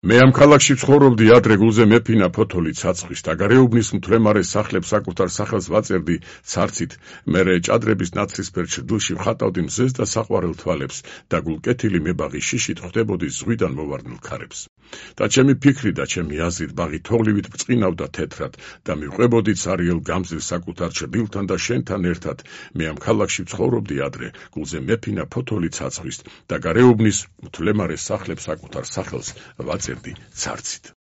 მე ამ ქალაქში ცხოვრობდი ადრე გულზე მეფინა ფოთოლი ცაცხვის და გარეუბნის მთლემარე სახლებს საკუთარ სახელს ვაწერდი ცარცით, მერე ჭადრების ნაცრისფერ ჩრდილში ვხატავდი მზეს და საყვარელ თვალებს და გულკეთილი მებაღი შიშით ხვდებოდი ზღვიდან მოვარდნილ ქარებს. და ჩემი ფიქრი და ჩემი აზრით ბაღი თოვლივით ბრწყინავდა თეთრად და მივყვებოდი ცარიელ გამზირს საკუთარ ჩრდილთან და შენთან ერთად. მე ამ ქალაქში ვცხოვრობდი ადრე გულზე მეფინა ფოთოლი ცაცხვის და გარეუბნის მთლემარე სახლებს საკუთარ სახელს ვაწერდი ცარცით.